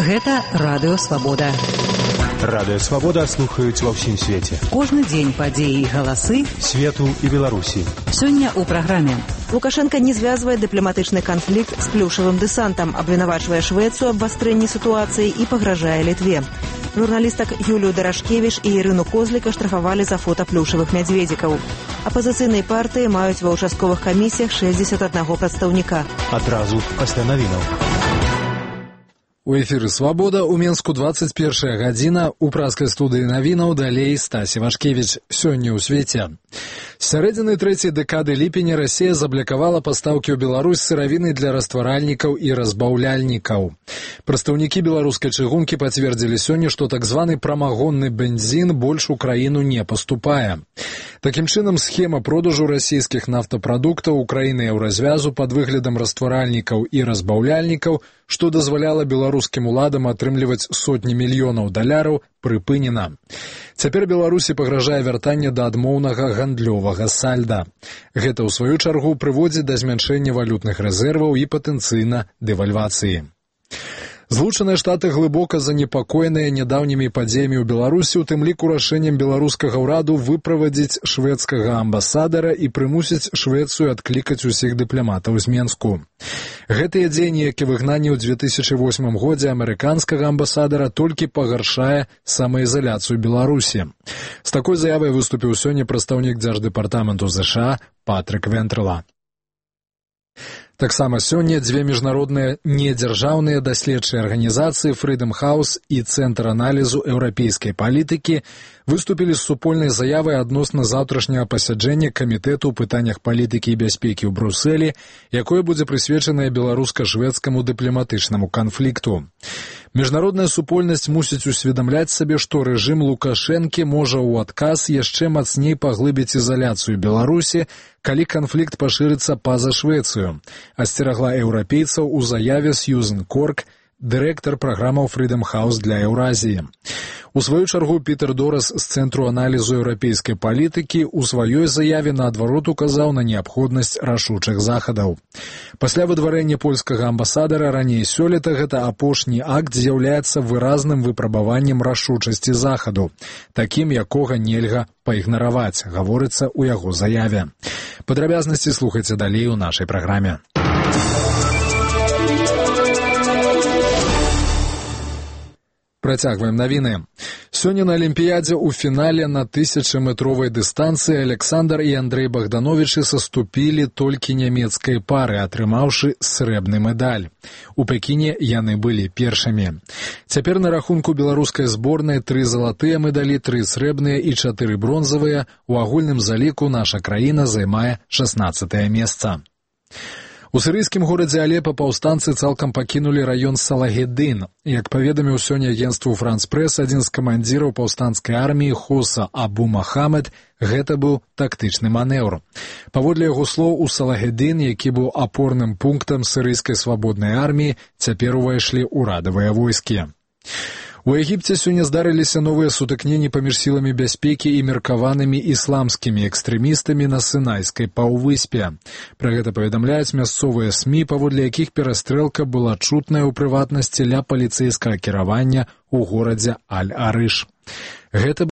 Гэта Радыё Свабода. Радыё Свабода слухаюць ва ўсім свеце. Кожны дзень падзеі і галасы свету і Беларусі. Сёння ў праграме. Лукашенко не звязвае дыпламатычны канфлікт з плюшавым дэсантам, абвінавачвае Швецыю абвастрэнні сітуацыі і пагражае Літве. Журналістак Юлію Дарашкевіч і Ірыну Козліка штрафавалі за фота плюшавых мядзведзікаў. Апазіцыйныя партыі маюць ва ўчастковых камісіях 61 прадстаўніка. Адразу пасля навінаў. У эфіры «Свабода» у Менску 21 гадзіна. У праскай студыі навінаў далей Стасі Вашкевіч. Сёння ў свеце. З сярэдзіны трэцяй дэкады ліпеня Расія заблакавала пастаўкі ў Беларусь сыравіны для растваральнікаў і разбаўляльнікаў. Прадстаўнікі беларускай чыгункі пацвердзілі сёння, што так званы прамагонны бензін больш у краіну не паступае. Такім чынам, схема продажу расійскіх нафтапрадуктаў у краіны еўразвязу пад выглядам растваральнікаў і разбаўляльнікаў, што дазваляла беларускім уладам атрымліваць сотні мільёнаў даляраў, прыпынена. Цяпер Беларусі пагражае вяртанне да адмоўнага гандлёвага сальда. Гэта, ў сваю чаргу, прыводзіць да змяншэння валютных рэзерваў і патэнцыйна дэвальвацыі. Злучаныя Штаты глыбока занепакоеныя нядаўнімі падзеямі ў Беларусі, у тым ліку рашэннем беларускага ўраду выправадзіць шведскага амбасадара і прымусіць Швецыю адклікаць усіх дыпламатаў з Менску. Гэтыя дзеянні, як і выгнанне ў 2008 годзе амерыканскага амбасадара, толькі пагаршае самаізаляцыю Беларусі. З такой заявай выступіў сёння прадстаўнік Дзярждэпартаменту США Патрык Вентрала. Таксама сёння дзве міжнародныя недзяржаўныя даследчыя арганізацыі Freedom House і Цэнтр аналізу еўрапейскай палітыкі выступілі з супольнай заявай адносна заўтрашняга пасяджэння Камітэту ў пытаннях палітыкі і бяспекі ў Брусэлі, якое будзе прысвечанае беларуска-шведскаму дыпламатычнаму канфлікту. Міжнародная супольнасць мусіць усведамляць сабе, што рэжым Лукашэнкі можа ў адказ яшчэ мацней паглыбіць ізаляцыю Беларусі, калі канфлікт пашырыцца па-за Швецыю, асцерагла еўрапейцаў у заяве Сьюзен Корк, дырэктар праграмаў Freedom House для Еўразіі. У сваю чаргу Пітер Дорас з Цэнтру аналізу еўрапейскай палітыкі ў сваёй заяве наадварот указаў на неабходнасць рашучых захадаў. Пасля выдварэння польскага амбасадара раней сёлета гэта апошні акт з'яўляецца выразным выпрабаваннем рашучасці захаду, такім, якога нельга пайгнараваць, гаворыцца ў яго заяве. Падрабязнасці слухайце далей у нашай праграме. Працягваем навіны. Сёння на Алімпіядзе ў фінале на 1000-метровай дыстанцыі Александр і Андрэй Богдановічы саступілі толькі нямецкай пары, атрымаўшы срэбны медаль. У Пекіне яны былі першымі. Цяпер на рахунку беларускай зборнай 3 залатыя медалі, 3 срэбныя і 4 бронзавыя. У агульным заліку наша краіна займае 16е месца. У сірыйскім горадзе Алепа паўстанцы цалкам пакінулі раён Салагеддын. Як паведаміў сёння агенцтву Франс Прэс, адзін з камандзіраў паўстанцкай арміі Хоса Абу Махамед, гэта быў тактычны манеўр. Паводле яго слоў, у Салагеддын, які быў апорным пунктам сірыйскай свабоднай арміі, цяпер увайшлі ўрадавыя войскі. У Егіпце сёння здарыліся новыя сутыкненні паміж сіламі бяспекі і меркаванымі ісламскімі экстрэмістамі на Сінайскай паўвыспе. Пра гэта паведамляюць мясцовыя СМІ, паводле якіх перастрэлка была чутная ў прыватнасці ля паліцэйскага кіравання ў горадзе Аль-Арыш. Гэта